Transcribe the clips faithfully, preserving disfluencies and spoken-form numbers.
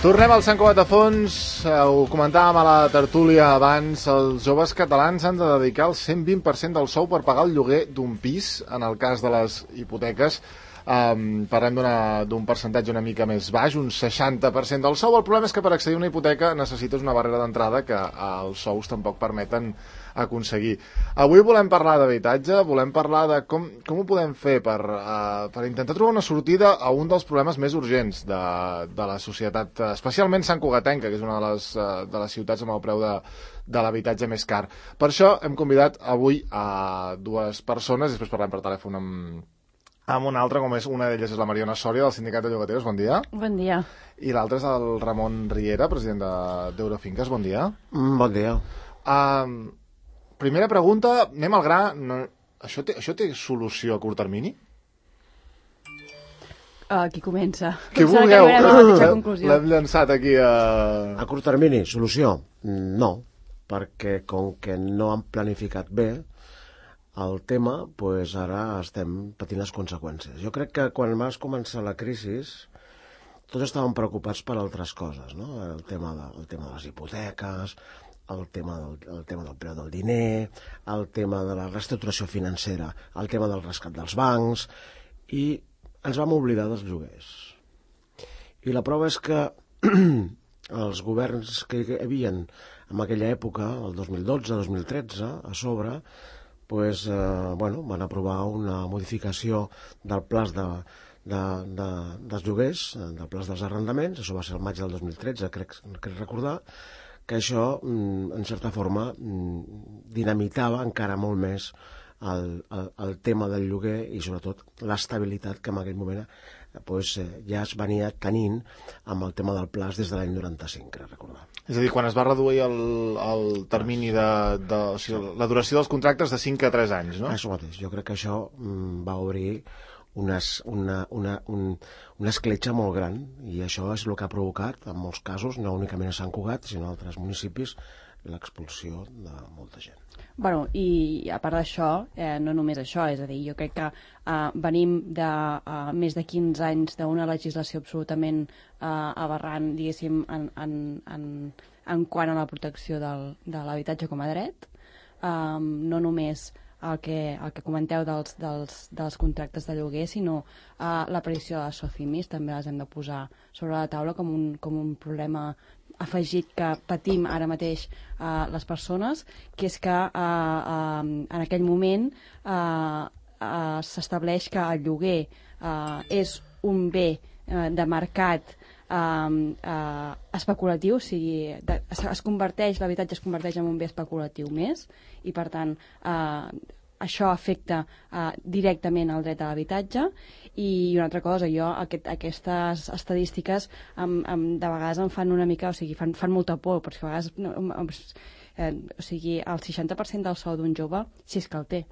Tornem al Sant Cugat de Fons, ho comentàvem a la tertúlia abans, els joves catalans han de dedicar el cent vint per cent del sou per pagar el lloguer d'un pis, en el cas de les hipoteques. Um, parlem d'un percentatge una mica més baix, un seixanta per cent del sou. El problema és que per accedir a una hipoteca necessites una barrera d'entrada que els sous tampoc permeten aconseguir. Avui volem parlar d'habitatge, volem parlar de com, com ho podem fer per, uh, per intentar trobar una sortida a un dels problemes més urgents de, de la societat, especialment santcugatenca, que és una de les, uh, de les ciutats amb el preu de, de l'habitatge més car. Per això hem convidat avui a dues persones, després parlem per telèfon amb amb una altra, com és una d'elles és la Mariona Sòria, del Sindicat de Llogateres. Bon dia. Bon dia. I l'altra és el Ramon Riera, president d'Eurofinques. Bon dia. Mm, bon dia. Uh, primera pregunta, anem al gra. No, això, té, això té solució a curt termini? Uh, qui comença? Qui vulgueu. L'hem llançat aquí a... A curt termini, solució? No, perquè com que no han planificat bé el tema, pues ara estem patint les conseqüències. Jo crec que quan va començar la crisi tots estaven preocupats per altres coses, no? El tema de, el tema de les hipoteques, el tema, del, el tema del preu del diner, el tema de la reestructuració financera, el tema del rescat dels bancs, i ens vam oblidar dels lloguers. I la prova és que els governs que hi havia en aquella època, el dos mil dotze, dos mil tretze, a sobre, pues, eh, bueno, van aprovar una modificació del pla de, de, de, dels lloguers, del pla dels arrendaments. Això va ser el maig del dos mil tretze, crec, crec recordar, que això, en certa forma, dinamitava encara molt més el, el, el tema del lloguer i, sobretot, l'estabilitat que en aquell moment pues, ja es venia tenint amb el tema del pla des de l'any noranta-cinc, crec recordar. És a dir, quan es va reduir el, el termini de, de o sigui, la duració dels contractes de cinc a tres anys, no? Això mateix. Jo crec que això mm, va obrir unes, una, una, un, una escletxa molt gran, i això és el que ha provocat, en molts casos, no únicament a Sant Cugat, sinó a altres municipis, l'expulsió de molta gent. Bueno, i a part d'això, eh, no només això, és a dir, jo crec que eh, venim de eh, més de quinze anys d'una legislació absolutament eh, aberrant, diguéssim, en, en, en, en quant a la protecció del, de l'habitatge com a dret, eh, no només el que, el que comenteu dels, dels, dels contractes de lloguer, sinó eh, l'aparició de les SOCIMIs, també les hem de posar sobre la taula com un, com un problema afegit que patim ara mateix eh, les persones, que és que eh, eh, en aquell moment eh, eh, s'estableix que el lloguer eh, és un bé eh, de mercat eh, eh, especulatiu, o sigui, de, es, es converteix, l'habitatge es converteix en un bé especulatiu més, i per tant eh, això afecta uh, directament el dret a l'habitatge. I una altra cosa, jo aquest, aquestes estadístiques um, um, de vegades em fan una mica, o sigui, fan, fan molta por, perquè a vegades no, um, eh, o sigui, el seixanta per cent del sou d'un jove, si és que el té.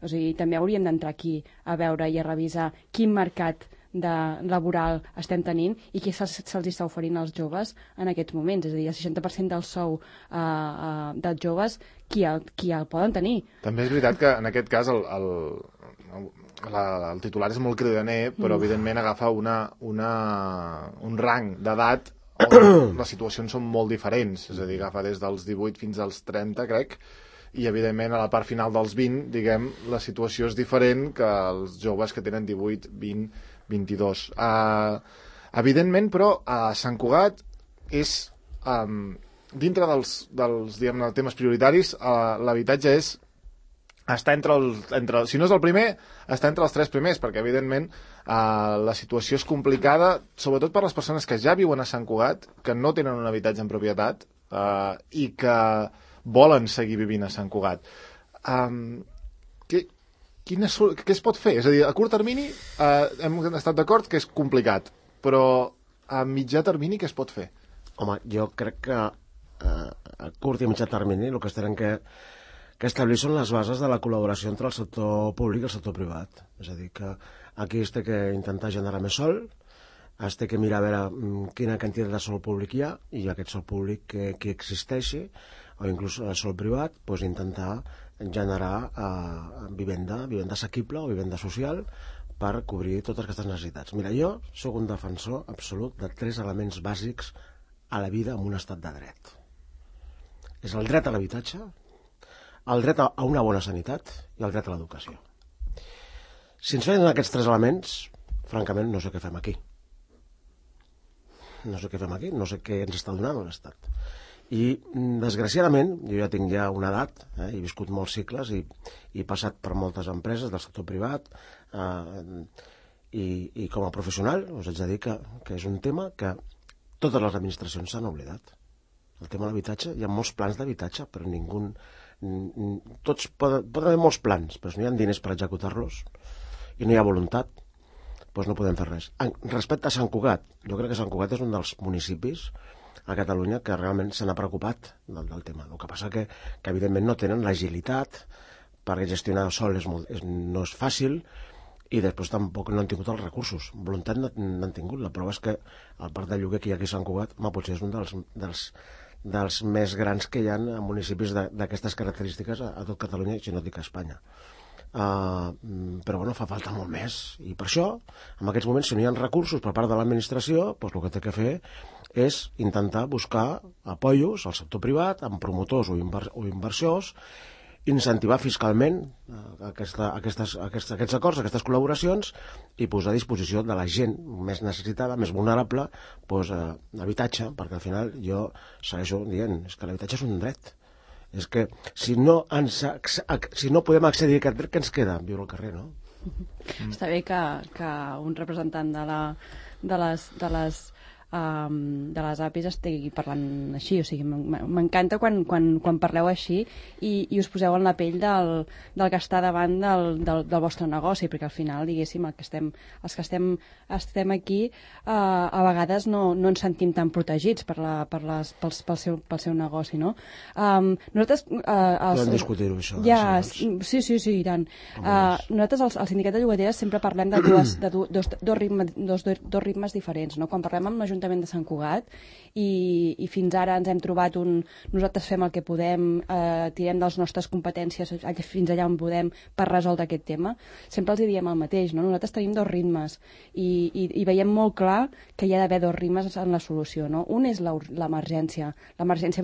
O sigui, també hauríem d'entrar aquí a veure i a revisar quin mercat de laboral estem tenint i què se'ls se està oferint als joves en aquests moments. És a dir, el seixanta per cent del sou uh, uh, dels joves, qui el, qui el poden tenir. També és veritat que en aquest cas el, el, el, la, el titular és molt cridaner, però mm. evidentment agafa una, una, un rang d'edat on les situacions són molt diferents. És a dir, agafa des dels divuit fins als trenta, crec, i evidentment a la part final dels vint, diguem, la situació és diferent que els joves que tenen divuit, vint, vint-i-dos. Uh, evidentment, però, a Sant Cugat és, um, dintre dels, dels diguem, temes prioritaris, uh, l'habitatge és està entre el, entre, si no és el primer, està entre els tres primers, perquè evidentment uh, la situació és complicada, sobretot per les persones que ja viuen a Sant Cugat, que no tenen un habitatge en propietat uh, i que volen seguir vivint a Sant Cugat. Um, què, quina, què es pot fer? És a dir, a curt termini uh, hem estat d'acord que és complicat, però a mitjà termini què es pot fer? Home, jo crec que uh, a curt i a mitjà termini el que estarem que, que establir són les bases de la col·laboració entre el sector públic i el sector privat. És a dir, que aquí es té que intentar generar més sol, es té que mirar a veure quina quantitat de sol públic hi ha, i aquest sol públic que, que existeixi, o inclús el sol privat, pues intentar generar eh, vivenda, vivenda assequible o vivenda social per cobrir totes aquestes necessitats. Mira, jo sóc un defensor absolut de tres elements bàsics a la vida en un estat de dret. És el dret a l'habitatge, el dret a una bona sanitat i el dret a l'educació. Si ens fallen aquests tres elements, francament no sé què fem aquí. No sé què fem aquí, no sé què ens està donant l'Estat. I, desgraciadament, jo ja tinc ja una edat, eh, he viscut molts cicles i, i he passat per moltes empreses del sector privat, eh, i, i com a professional us haig de dir que, que és un tema que totes les administracions s'han oblidat. El tema de l'habitatge, hi ha molts plans d'habitatge, però ningú... Tots poden, poden haver molts plans, però si no hi ha diners per executar-los i no hi ha voluntat, doncs no podem fer res. Respecte a Sant Cugat, jo crec que Sant Cugat és un dels municipis a Catalunya que realment se n'ha preocupat del, del tema. El que passa que, que evidentment no tenen l'agilitat, perquè gestionar sol és molt, és, no és fàcil, i després tampoc no han tingut els recursos. Voluntat no n'han tingut. La prova és que el parc de lloguer que hi ha aquí a Sant Cugat, home, potser és un dels, dels, dels més grans que hi ha en municipis d'aquestes característiques a, a tot Catalunya, i si no dic a Espanya. Uh, però bueno, fa falta molt més, i per això en aquests moments, si no hi ha recursos per part de l'administració, doncs el que té que fer és intentar buscar apoyos al sector privat amb promotors o, inver o inversors, incentivar fiscalment uh, aquesta, aquestes, aquests, aquests acords, aquestes col·laboracions, i posar a disposició de la gent més necessitada, més vulnerable, doncs, uh, habitatge, perquè al final jo segueixo dient, és que l'habitatge és un dret. És que si no, ens, si no podem accedir a aquest dret, què ens queda? Viure al carrer, no? Mm. Està bé que, que un representant de, la, de les, de les, um, de les A P Is estigui parlant així, o sigui, m'encanta quan, quan, quan parleu així i, i us poseu en la pell del, del que està davant del, del, del vostre negoci, perquè al final, diguéssim, el que estem, els que estem, estem aquí uh, a vegades no, no ens sentim tan protegits per la, per les, pels, pel, seu, pel seu negoci, no? Um, nosaltres... Uh, els, Podem discutir-ho, això. Ja, sí, sí, sí, i tant. Uh, nosaltres, el, el sindicat de llogateres, sempre parlem de, dues, de du, dos, dos, ritmes, dos, dos ritmes diferents, no? Quan parlem amb l'Ajuntament de Sant Cugat i, i fins ara ens hem trobat un... Nosaltres fem el que podem, eh, tirem de les nostres competències fins allà on podem per resoldre aquest tema, sempre els diem el mateix, no? Nosaltres tenim dos ritmes i, i, i veiem molt clar que hi ha d'haver dos ritmes en la solució, no? Un és l'emergència, l'emergència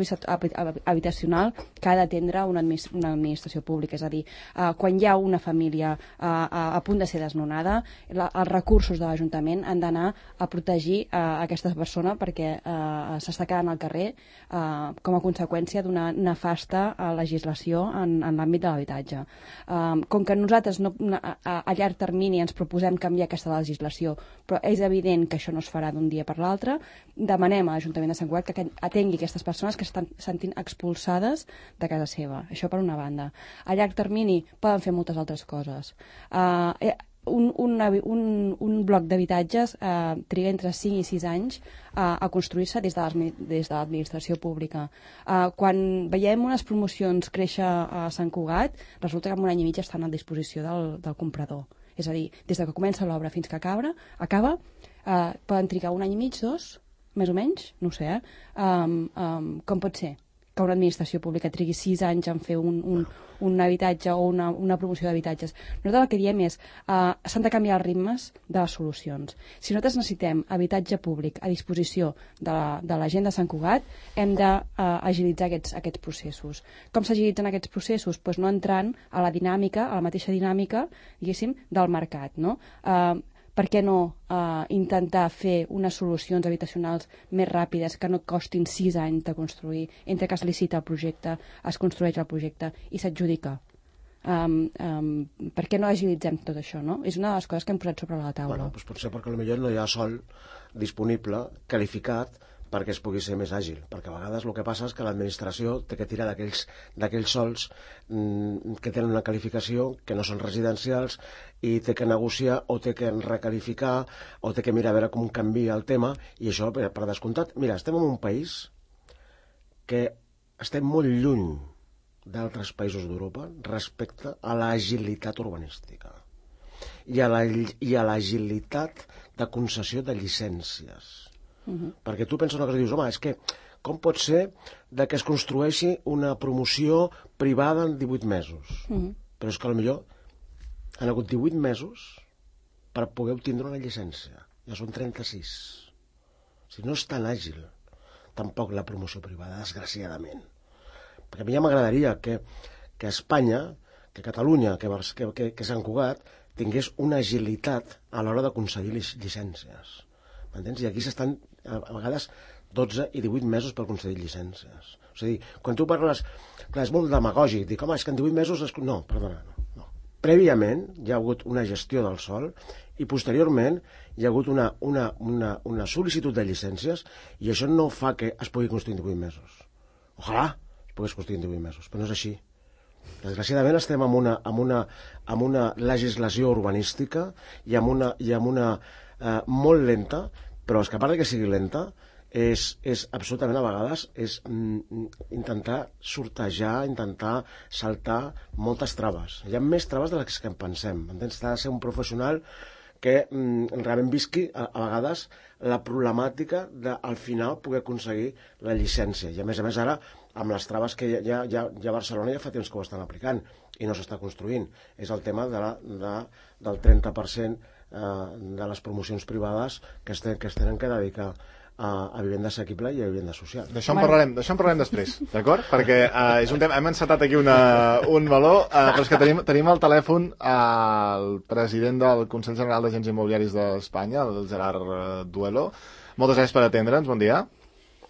habitacional que ha d'atendre una, administ una administració pública, és a dir, eh, quan hi ha una família eh, a, a punt de ser desnonada, la, els recursos de l'Ajuntament han d'anar a protegir eh, aquesta persona perquè eh, s'està quedant al carrer eh, com a conseqüència d'una nefasta eh, legislació en, en l'àmbit de l'habitatge. Eh, com que nosaltres no, a, a llarg termini ens proposem canviar aquesta legislació, però és evident que això no es farà d'un dia per l'altre, demanem a l'Ajuntament de Sant Cugat que atengui aquestes persones que estan sentint expulsades de casa seva. Això per una banda. A llarg termini poden fer moltes altres coses. Uh, un, un, un, un bloc d'habitatges uh, triga entre cinc i sis anys uh, a construir-se des de l'administració pública. Uh, quan veiem unes promocions créixer a Sant Cugat, resulta que en un any i mig estan a disposició del, del comprador. És a dir, des que comença l'obra fins que acaba, acaba uh, poden trigar un any i mig, dos, més o menys, no ho sé, eh? Um, um, com pot ser que una administració pública trigui sis anys en fer un, un, un habitatge o una, una promoció d'habitatges? Nosaltres el que diem és uh, s'han de canviar els ritmes de les solucions. Si nosaltres necessitem habitatge públic a disposició de la, de la gent de Sant Cugat, hem d'agilitzar uh, aquests, aquests processos. Com s'agilitzen aquests processos? Pues no entrant a la dinàmica, a la mateixa dinàmica, diguéssim, del mercat, no? Uh, per què no uh, intentar fer unes solucions habitacionals més ràpides que no costin sis anys de construir, entre que es licita el projecte, es construeix el projecte i s'adjudica? Um, um, per què no agilitzem tot això, no? És una de les coses que hem posat sobre la taula. Bueno, doncs potser perquè potser no hi ha sol disponible, qualificat, perquè es pugui ser més àgil, perquè a vegades el que passa és que l'administració té que tirar d'aquells sols mmm, que tenen una qualificació, que no són residencials, i té que negociar o té que recalificar o té que mirar a veure com canvia el tema, i això per, per descomptat. Mira, estem en un país que estem molt lluny d'altres països d'Europa respecte a l'agilitat urbanística i a l'agilitat de concessió de llicències. Uh-huh. Perquè tu penses una cosa i dius, home, és que com pot ser de que es construeixi una promoció privada en divuit mesos? Uh-huh. Però és que potser han hagut divuit mesos per poder obtindre una llicència. Ja són trenta-sis. O sigui, no és tan àgil tampoc la promoció privada, desgraciadament. Perquè a mi ja m'agradaria que, que Espanya, que Catalunya, que, que, que, que Sant Cugat tingués una agilitat a l'hora d'aconseguir llicències. M'entens? I aquí s'estan, a vegades, dotze i divuit mesos per aconseguir llicències. O sigui, quan tu parles, clar, és molt demagògic, dic, home, és que en divuit mesos... Es... No, perdona, no, no. Prèviament hi ha hagut una gestió del sòl i posteriorment hi ha hagut una, una, una, una sol·licitud de llicències i això no fa que es pugui construir en divuit mesos. Ojalà es pogués construir en divuit mesos, però no és així. Desgraciadament estem amb una, amb una, amb una legislació urbanística i amb una, i amb una eh, molt lenta, però és que a part que sigui lenta, és, és absolutament a vegades és mm, intentar sortejar, intentar saltar moltes traves. Hi ha més traves de les que en pensem. Entens? T'ha de ser un professional que mm, realment visqui a, a vegades la problemàtica de al final poder aconseguir la llicència. I a més a més ara, amb les traves que ja, ja, ja a Barcelona ja fa temps que ho estan aplicant i no s'està construint. És el tema de la, de, del trenta per cent de les promocions privades que es, ten, que es tenen que dedicar a, a vivenda assequible i a vivenda social. D'això en parlarem, d'això en parlarem després, d'acord? Perquè uh, és un tema, hem encetat aquí una, un meló, uh, però és que tenim, tenim al telèfon el president del Consell General d'Agents Immobiliaris d'Espanya, el Gerard Duelo. Moltes gràcies per atendre'ns, bon dia.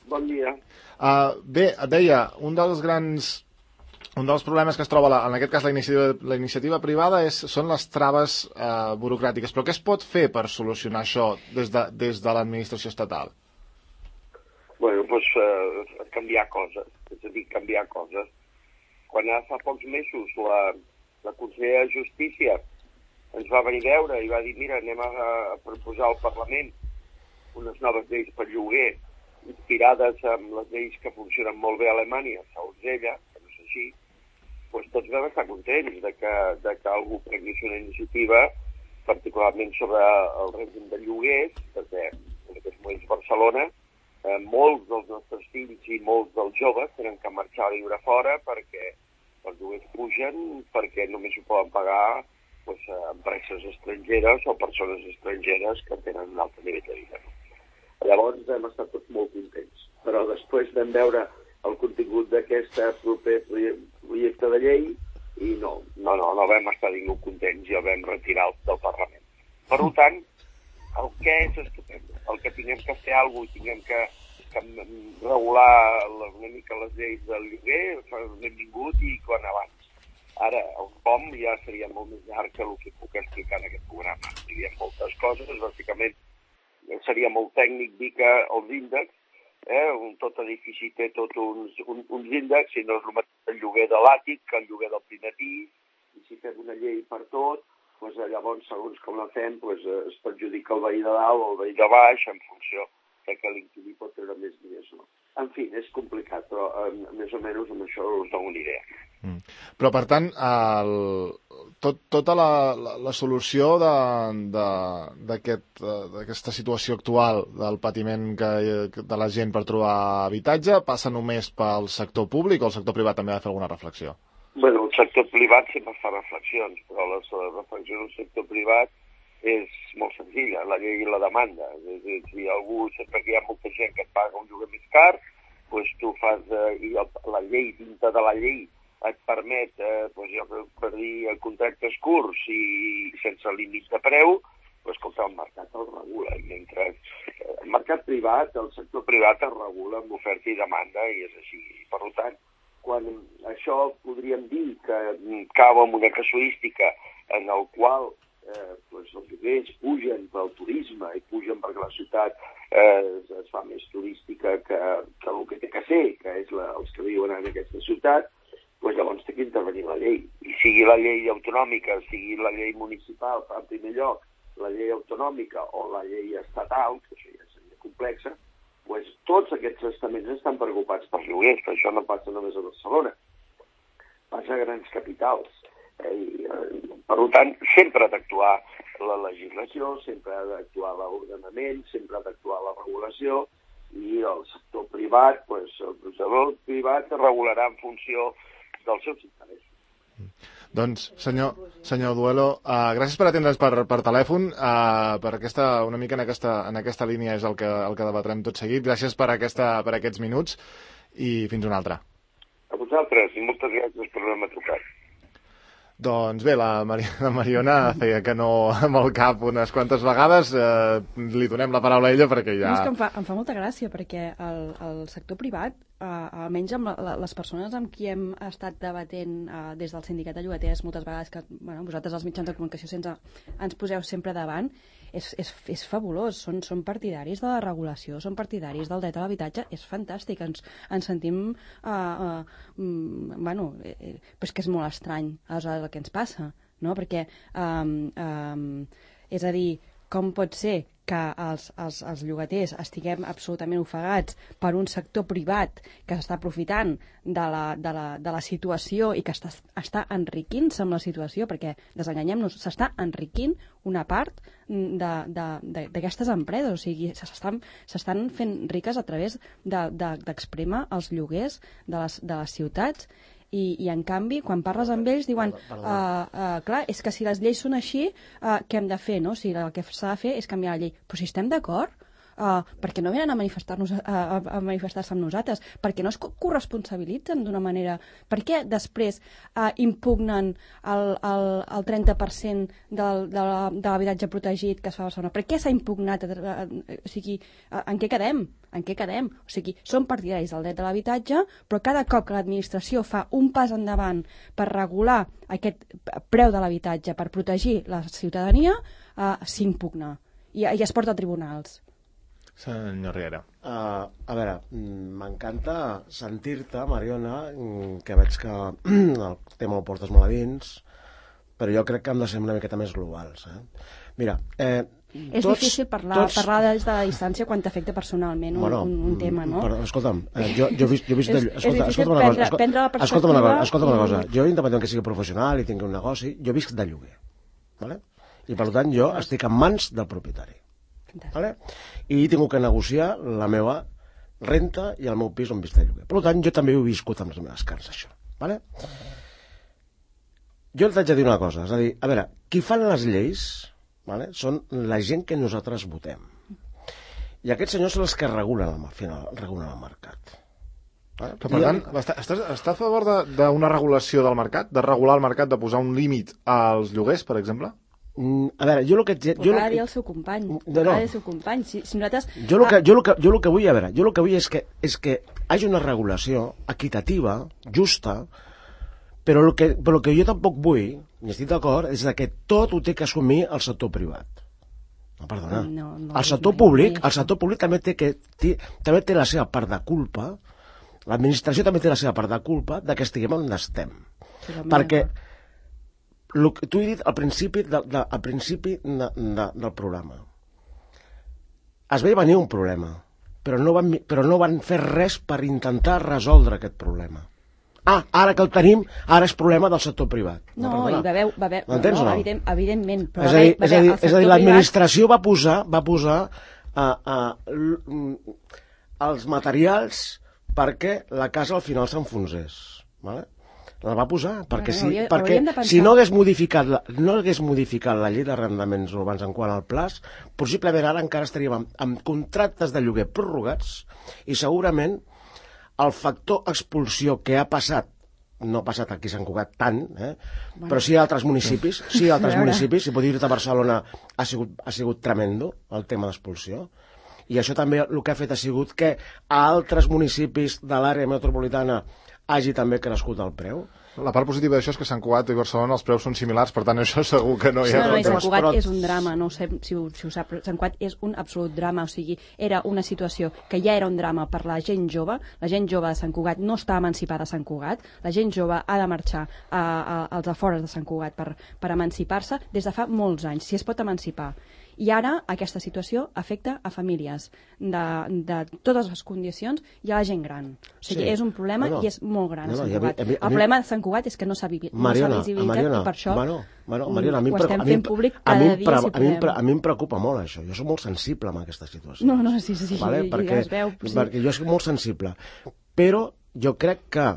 Bon dia. Uh, bé, et deia, un dels grans... Un dels problemes que es troba, en aquest cas, la iniciativa, la iniciativa privada és, són les traves eh, burocràtiques. Però què es pot fer per solucionar això des de, des de l'administració estatal? Bueno, doncs eh, canviar coses, és a dir, canviar coses. Quan fa pocs mesos la, la consellera de Justícia ens va venir a veure i va dir, mira, anem a, a proposar al Parlament unes noves lleis per lloguer, inspirades en les lleis que funcionen molt bé a Alemanya, segons ella, que no és així, doncs tots vam estar contents de que, de que algú prengués una iniciativa, particularment sobre el règim de lloguers, perquè en aquests moments a Barcelona eh, molts dels nostres fills i molts dels joves tenen que marxar a viure fora perquè els lloguers pugen, perquè només ho poden pagar doncs, empreses estrangeres o persones estrangeres que tenen un altre nivell de vida. Llavors hem estat tots molt contents, però després vam veure el contingut d'aquest proper projecte de llei i no, no, no, no vam estar ningú contents i el vam retirar del Parlament. Per tant, el que és estupendo, el que tinguem que fer alguna cosa i tinguem que, que regular una mica les lleis del lloguer, benvingut i quan abans. Ara, el com ja seria molt més llarg que el que puc explicar en aquest programa. Hi ha moltes coses, bàsicament seria molt tècnic dir que els índexs, Eh, un, tot edifici té tot uns, un, uns índexs, i no és el mateix el lloguer de l'àtic que el lloguer del primer pis, i si fem una llei per tot, doncs, llavors, segons com la fem, doncs, es perjudica el veí de dalt o el veí de baix en funció de que l'inquilí pot treure més diners. No? En fi, és complicat, però eh, més o menys amb això us dono una idea. Mm. Però, per tant, el, tot, tota la, la, la solució d'aquesta aquest, situació actual del patiment que, de la gent per trobar habitatge passa només pel sector públic o el sector privat també ha de fer alguna reflexió? Bueno, el sector privat sempre fa reflexions, però les reflexions del sector privat és molt senzilla, la llei i la demanda. És a dir, si algú, sempre que hi ha molta gent que et paga un lloguer més car, doncs tu fas, eh, i el, la llei, dintre de la llei, et permet, eh, doncs jo per dir, contractes curts i sense límits de preu, doncs escolta, el mercat el regula. I mentre el mercat privat, el sector privat es regula amb oferta i demanda, i és així. Per tant, quan això podríem dir que cau en una casuística en el qual eh, doncs els lloguers pugen pel turisme i pugen perquè la ciutat eh, es fa més turística que, que el que té que ser, que és la, els que viuen en aquesta ciutat, doncs llavors té que intervenir la llei. I sigui la llei autonòmica, sigui la llei municipal, en primer lloc, la llei autonòmica o la llei estatal, que això ja seria complexa, doncs tots aquests estaments estan preocupats pels lloguers, però això no passa només a Barcelona, passa a grans capitals. Eh, i, eh, per tant, sempre ha d'actuar la legislació, sempre ha d'actuar l'ordenament, sempre ha d'actuar la regulació, i el sector privat, doncs, el sector privat regularà en funció dels seus interessos. Doncs, senyor, senyor Duelo, uh, gràcies per atendre's per, per telèfon, uh, per aquesta, una mica en aquesta, en aquesta línia és el que, el que debatrem tot seguit. Gràcies per, aquesta, per aquests minuts i fins una altra. A vosaltres, i moltes gràcies per haver-me trucat. Doncs bé, la, Mari la Mariona feia que no amb el cap unes quantes vegades. Eh, li donem la paraula a ella perquè ja... No, és que em fa, em fa molta gràcia perquè el, el sector privat, eh, almenys amb la, la, les persones amb qui hem estat debatent eh, des del sindicat de llogaters moltes vegades, que bueno, vosaltres els mitjans de comunicació sense, ens poseu sempre davant, és, és, és fabulós, són, són partidaris de la regulació, són partidaris del dret a l'habitatge, és fantàstic, ens, ens sentim eh, eh, mm, bueno, eh, però és que és molt estrany aleshores el que ens passa, no? Perquè um, um, és a dir, com pot ser que els, els, els llogaters estiguem absolutament ofegats per un sector privat que s'està aprofitant de la, de, la, de la situació i que està, està enriquint-se amb la situació, perquè, desenganyem-nos, s'està enriquint una part d'aquestes empreses, o sigui, s'estan fent riques a través d'exprémer de, de, els lloguers de les, de les ciutats. I, i en canvi, quan parles amb ells, diuen uh, uh, clar, és que si les lleis són així, uh, què hem de fer, no? O sigui, el que s'ha de fer és canviar la llei. Però si estem d'acord, uh, perquè no venen a manifestar-nos a, a, a manifestar-se amb nosaltres, perquè no es corresponsabilitzen d'una manera. Per què després uh, impugnen el, el, el trenta per cent del, de l'habitatge protegit que es fa a Barcelona? Per què s'ha impugnat? Uh, o sigui, uh, en què quedem? En què quedem? O sigui, són partidaris del dret de l'habitatge, però cada cop que l'administració fa un pas endavant per regular aquest preu de l'habitatge, per protegir la ciutadania, uh, s'impugna i, i es porta a tribunals. Senyor Riera. Uh, a veure, m'encanta sentir-te, Mariona, que veig que el tema el portes molt a dins, però jo crec que hem de ser una miqueta més globals. Eh? Mira, eh, és tots, difícil parlar, tots... parlar des de la distància quan t'afecta personalment un, bueno, un, un tema, no? Però, escolta'm, eh, jo, jo he vist... Jo he vist és, de, escolta, és escolta'm una prendre, cosa, prendre la escolta'm, escolta'm una cosa, escolta'm una cosa. I... Jo, independent que sigui professional i tingui un negoci, jo visc de lloguer, ¿vale? I per tant jo estic en mans del propietari. ¿Vale? I he tingut que negociar la meva renta i el meu pis on visc de lloguer. Per tant, jo també ho he viscut amb les meves carns, això. ¿Vale? Jo t'haig de dir una cosa, és a dir, a veure, qui fan les lleis, ¿vale? Són la gent que nosaltres votem. I aquests senyors són els que regulen el, al final, regulen el mercat. Vale? Però, per tant, està, està, està a favor d'una regulació del mercat? De regular el mercat, de posar un límit als lloguers, per exemple? Mm, a veure, jo el que... Jo ho ha de dir el seu company. No, ho no. ha de dir el seu company. Si, si nosaltres... Jo el que, jo, el que, jo el que vull, a veure, jo el que vull és que, és que hi hagi una regulació equitativa, justa, però el que, però el que jo tampoc vull, i estic d'acord, és que tot ho té que assumir el sector privat. No, perdona. No, no, el sector mai, públic, mai. el sector públic també té, que, té, també té la seva part de culpa, l'administració també té la seva part de culpa de que estiguem on estem. Sí, perquè el que tu he dit al principi, de, de, al principi de, de, del programa, es veia venir un problema, però no, van, però no van fer res per intentar resoldre aquest problema. Ah, ara que el tenim, ara és problema del sector privat. No, no i va haver... Va haver M'entens no, o no? Evident, evidentment. Però és a dir, va és a dir, és a dir l'administració privat... va posar, va posar uh, uh, els materials perquè la casa al final s'enfonsés. Vale? La va posar perquè, no, si, hauria, perquè pensar... si no hagués, modificat la, no hagués modificat la llei d'arrendaments urbans en quant al plaç, possiblement ara encara estaríem amb, amb contractes de lloguer prorrogats i segurament el factor expulsió que ha passat, no ha passat aquí a Sant Cugat tant, eh? Bueno. Però sí a altres municipis, sí a altres municipis, si pot dir-te a Barcelona ha sigut, ha sigut tremendo el tema d'expulsió, i això també el que ha fet ha sigut que a altres municipis de l'àrea metropolitana hagi també crescut el preu. La part positiva d'això és que Sant Cugat i Barcelona els preus són similars, per tant això segur que no hi ha... No, no, i Sant Cugat però... és un drama, no sé si ho, si ho sap, però Sant Cugat és un absolut drama, o sigui, era una situació que ja era un drama per la gent jove, la gent jove de Sant Cugat no està emancipada a Sant Cugat, la gent jove ha de marxar a, a, als afores de Sant Cugat per, per emancipar-se des de fa molts anys, si es pot emancipar. I ara aquesta situació afecta a famílies de, de totes les condicions i a la gent gran. O sigui, sí. És un problema no, no. i és molt gran no, no, a Sant Cugat. A mi, a mi, el problema de Sant Cugat és que no s'ha Mariona, no visibilitat Mariona, i per això bueno, bueno, Mariona, a mi ho estem a mi, fent públic a mi, cada dia si a mi, podem. a mi em preocupa molt això. Jo soc molt sensible amb aquesta situació. No, no, sí, sí, sí, vale? sí perquè, ja es veu. Sí. Perquè jo soc molt sensible. Però jo crec que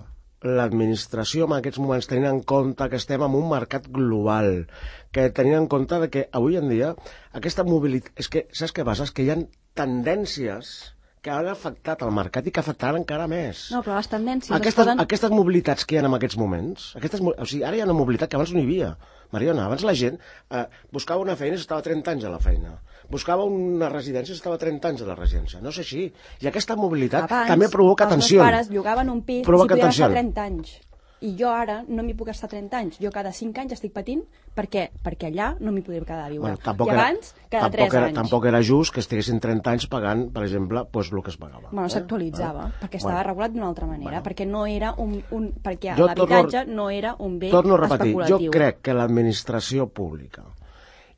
l'administració en aquests moments, tenint en compte que estem en un mercat global, que tenint en compte de que avui en dia aquesta mobilitat... És que, saps què passa? És que hi ha tendències que han afectat el mercat i que afectaran encara més. No, però les tendències... Aquestes, poden... aquestes mobilitats que hi ha en aquests moments, aquestes, o sigui, ara hi ha una mobilitat que abans no hi havia. Mariona, abans la gent eh, buscava una feina i estava trenta anys a la feina. Buscava una residència i estava trenta anys a la residència. No és així. I aquesta mobilitat abans, també provoca tensió. Els meus pares llogaven un pis provoca i si podien tensió. estar trenta anys. I jo ara no m'hi puc estar trenta anys. Jo cada cinc anys estic patint perquè, perquè allà no m'hi podria quedar a viure. Bueno, tampoc I abans, era, cada tampoc tres era, anys. Tampoc era just que estiguessin trenta anys pagant, per exemple, pues, el que es pagava. Bueno, eh? s'actualitzava, eh? perquè estava bueno. regulat d'una altra manera, bueno. perquè no era un, un perquè Jo l'habitatge torno, no era un bé torno a repetir, especulatiu. jo crec que l'administració pública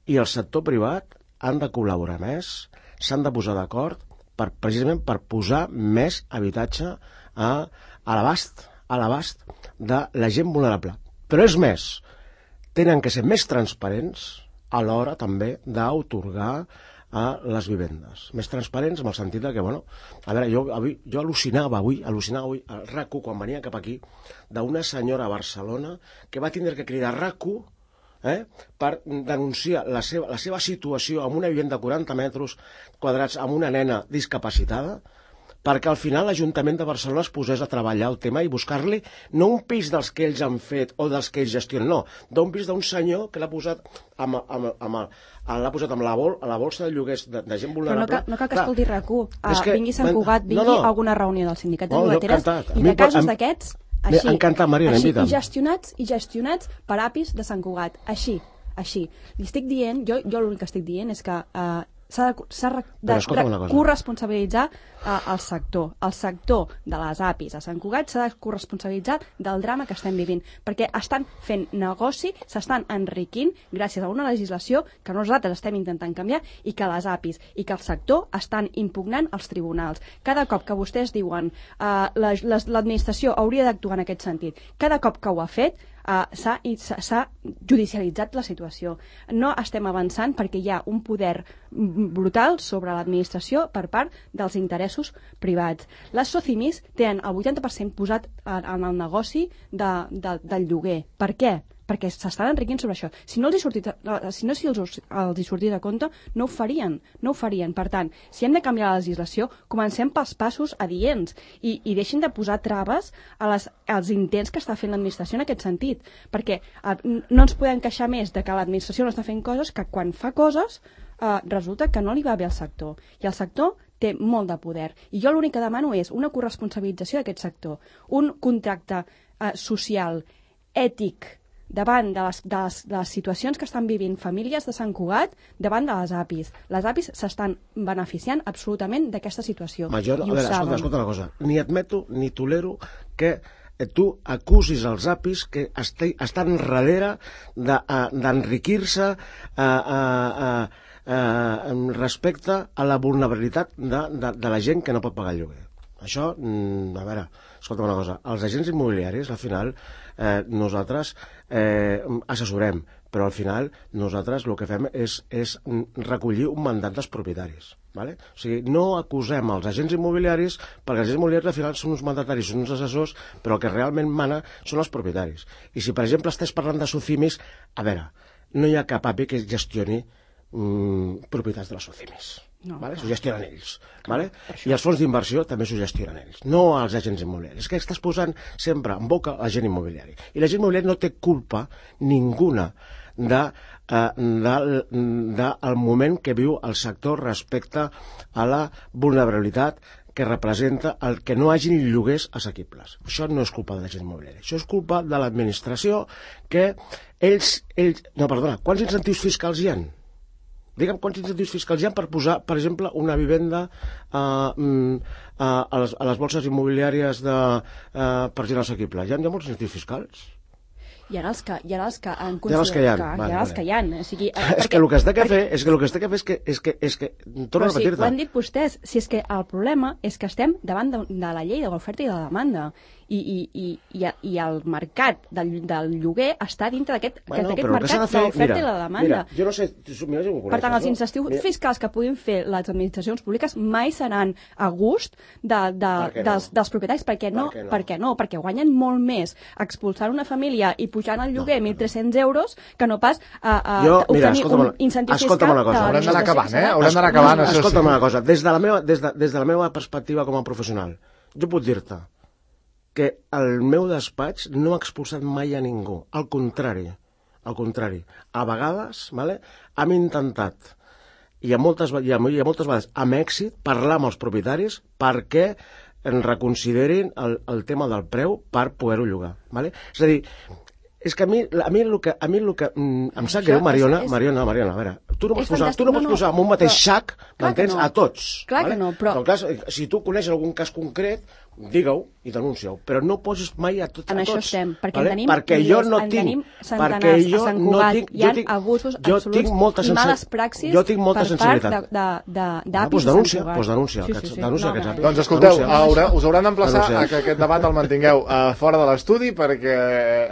i el sector privat han de col·laborar més, s'han de posar d'acord per, precisament per posar més habitatge a, a l'abast a l'abast de la gent vulnerable. Però és més, tenen que ser més transparents a l'hora també d'autorgar a les vivendes. Més transparents en el sentit de que, bueno, a veure, jo, avui, jo al·lucinava avui, al·lucinava avui al RAC u, quan venia cap aquí, d'una senyora a Barcelona que va tindre que cridar RAC u eh, per denunciar la seva, la seva situació en una vivenda de quaranta metres quadrats amb una nena discapacitada, perquè al final l'Ajuntament de Barcelona es posés a treballar el tema i buscar-li no un pis dels que ells han fet o dels que ells gestionen, no, d'un pis d'un senyor que l'ha posat amb, amb, amb, amb, l'ha posat amb la, bol, a la bolsa de lloguers de, de gent vulnerable. Però no cal, no cal que escolti RAC u, uh, que, vingui Sant Cugat, vingui no, no. a alguna reunió del sindicat de no, llogateres i de casos d'aquests, així, encantat, Mariona, així invita'm. i gestionats i gestionats per A P Is de Sant Cugat, així, així. Li estic dient, jo, jo l'únic que estic dient és que uh, s'ha de, de, de, de corresponsabilitzar uh, el sector. El sector de les A P Is a Sant Cugat s'ha de corresponsabilitzar del drama que estem vivint, perquè estan fent negoci, s'estan enriquint gràcies a una legislació que nosaltres estem intentant canviar i que les A P Is i que el sector estan impugnant als tribunals. Cada cop que vostès diuen uh, l'administració hauria d'actuar en aquest sentit, cada cop que ho ha fet, Uh, s'ha judicialitzat la situació. No estem avançant perquè hi ha un poder brutal sobre l'administració per part dels interessos privats. Les SOCIMIs tenen el vuitanta per cent posat en, en el negoci de, de, del lloguer. Per què? Perquè s'estan enriquint sobre això. Si no els hi sortit, si no si els, els hi sortit a compte, no ho farien, no ho farien. Per tant, si hem de canviar la legislació, comencem pels passos adients i, i deixin de posar traves a les, als intents que està fent l'administració en aquest sentit. Perquè eh, no ens podem queixar més de que l'administració no està fent coses que quan fa coses eh, resulta que no li va bé al sector. I el sector té molt de poder. I jo l'únic que demano és una corresponsabilització d'aquest sector, un contracte eh, social, ètic, davant de les, de, les, de les situacions que estan vivint famílies de Sant Cugat davant de les A P Is. Les A P Is s'estan beneficiant absolutament d'aquesta situació. Major, I a veure, escolta, escolta una cosa. Ni admeto ni tolero que tu acusis els A P Is que est estan darrere d'enriquir-se de, uh, uh, uh, uh, respecte a la vulnerabilitat de, de, de la gent que no pot pagar el lloguer. Això, a veure, escolta una cosa, els agents immobiliaris, al final, eh, nosaltres eh, assessorem, però al final nosaltres el que fem és, és recollir un mandat dels propietaris. ¿Vale? O sigui, no acusem els agents immobiliaris, perquè els agents immobiliaris al final són uns mandataris, són uns assessors, però el que realment mana són els propietaris. I si, per exemple, estàs parlant de SOCIMIs, a veure, no hi ha cap A P I que gestioni mm, propietats de les SOCIMIs. No, vale? S'ho gestionen ells, vale? I els fons d'inversió també s'ho gestionen ells, no els agents immobiliaris. És que estàs posant sempre en boca l'agent immobiliari, i l'agent immobiliari no té culpa ninguna de, eh, de, de el moment que viu el sector respecte a la vulnerabilitat que representa el que no hagi ni lloguers assequibles. Això no és culpa de l'agent immobiliari, això és culpa de l'administració, que ells, ells... No, perdona, quants incentius fiscals hi ha? Digue'm quants incentius fiscals hi ha per posar, per exemple, una vivenda uh, uh, a, les, a les bolses immobiliàries de, uh, per gent assequible. Hi ha, hi ha molts incentius fiscals? Hi ha els que, hi ha els que han considerat que hi ha, que, vale, hi ha els vale. que hi ha. O sigui, eh, és que el que es té que fer és que el que es té que fer és que, és que, és que torno a repetir-te. Ho han dit vostès, si és que el problema és que estem davant de, de la llei de l'oferta i de la demanda i, i, i, i, i el mercat del, del lloguer està dintre d'aquest bueno, mercat de l'oferta i la demanda. Mira, jo no sé, mira si ho coneixes, per tant, els no? incentius mira. fiscals que puguin fer les administracions públiques mai seran a gust de, de, no? dels, dels propietaris. Per què no? Per què no? Per què no? Perquè guanyen molt més expulsant una família i pujant el lloguer no, mil tres-cents euros que no pas a, a jo, mira, obtenir un incentiu fiscal. Una cosa. Haurem d'anar acabant, eh? Haurem d'anar acabant, això sí. Escolta'm una cosa, des de, la meva, des, de, des de la meva perspectiva com a professional, jo puc dir-te que el meu despatx no ha expulsat mai a ningú, al contrari, al contrari. A vegades, vale, hem intentat, i a moltes, i a, i a moltes vegades amb èxit, parlar amb els propietaris perquè en reconsiderin el, el tema del preu per poder-ho llogar. Vale? És a dir, és que a mi, a mi el que, a mi el que mm, em sap greu, Mariona, és, Mariona, Mariona, a veure, tu no pots posar, tu no pots no, posar en un mateix però, sac, m'entens, no. a tots. Clar vale? que no, però... En cas, si tu coneixes algun cas concret, digue-ho i denuncia-ho, però no poses mai a, tot, a tots. En això estem, perquè vale? en tenim perquè milers, jo no en tinc, tenim centenars, jo a Sant no Cugat, tinc, hi ha jo tinc, abusos jo absoluts tinc molta i males praxis jo tinc molta per sensibilitat. part d'apis ah, doncs denúncia, doncs denúncia, sí, sí, sí, sí. denúncia no, aquests apis. Doncs escolteu, haurà, us hauran d'emplaçar a que aquest debat el mantingueu uh, fora de l'estudi perquè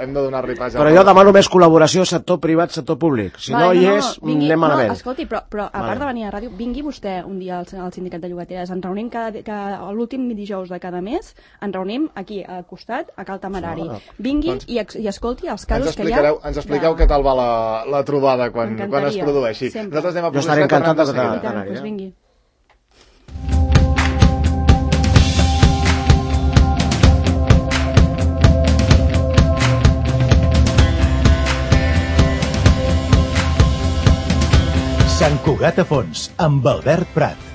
hem de donar ripàs. Però jo demano més col·laboració sector privat, sector públic. Si vale, no hi no, és, vingui, anem malament. No, escolti, però, però a part vale. de venir a la ràdio, vingui vostè un dia al, al sindicat de llogateres. Ens reunim cada, cada, l'últim dijous de cada mes, ens reunim aquí al costat, a Cal Temerari. No, no. Vingui doncs, i, i escolti els casos que hi ha. Ens expliqueu de... què tal va la, la trobada quan, quan es produeixi. Sempre. Nosaltres anem a jo estaré encantat de Cal Temerari. Doncs vingui. Sant Cugat a fons, amb Albert Prat.